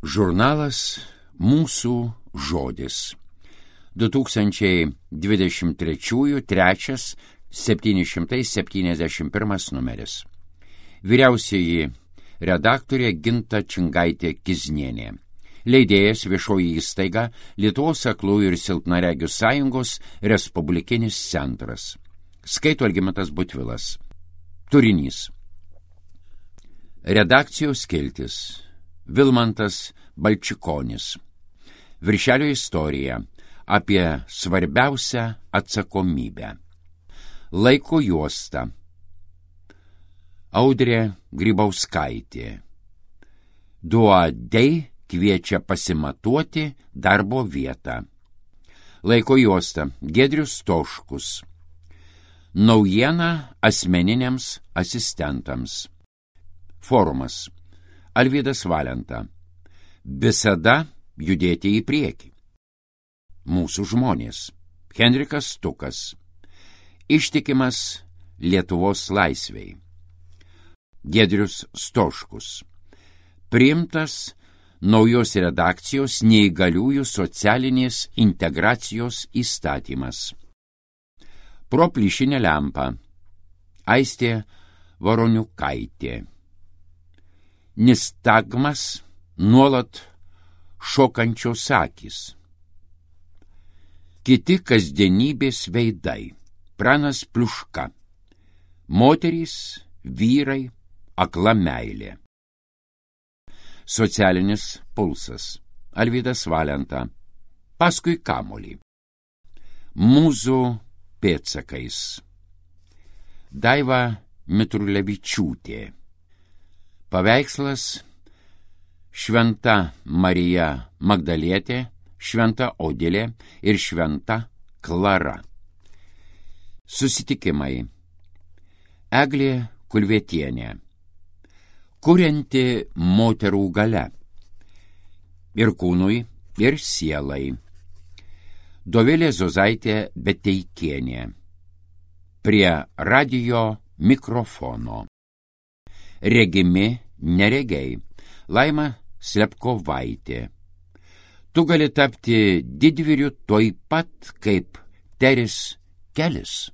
Žurnalas Mūsų žodis. 2023 trečias 771 numeris. Vyriausioji redaktorė Ginta Čingaitė-Kiznienė. Leidėjas Viešoji įstaiga Lietuvos aklųjų ir silpnaregių sąjungos Respublikinis centras. Skaito Algimantas Butvilas. Turinys. Redakcijos skiltis. Vilmantas Balčikonis. Viršelio istorija apie svarbiausią atsakomybę. Laiko juosta. Audrė Grybauskaitė. Duodei kviečia pasimatuoti darbo vietą. Laiko juosta. Giedrius Stoškus. Naujiena asmeniniams asistentams. Forumas. Alvydas Valenta. Visada judėti į priekį. Mūsų žmonės. Henrikas Stukas. Ištikimas Lietuvos laisvei. Giedrius Stoškus. Priimtas naujos redakcijos neįgaliųjų socialinės integracijos įstatymas. Pro plyšinę lempą. Aistė Varoniukaitė. Nistagmas nuolat šokančios akys. Kiti kasdienybės veidai. Pranas Pliuška. Moterys, vyrai, akla meilė. Socialinis pulsas. Alvydas Valenta. Paskui kamuolį. Mūzų pėdsakais. Daiva Mitrulevičiūtė. Paveikslas Šventa Marija Magdalietė, Šventa Odilė ir Šventa Klara. Susitikimai. Eglė Kulvietienė. Kurianti moterų galia. Ir kūnui, ir sielai. Dovilė Zozaitė Beteikienė. Prie radijo mikrofono. Regimi neregiai. Laima Slepkovaitė. Tu gali tapti didvyriu toj pat kaip Teris Kelis.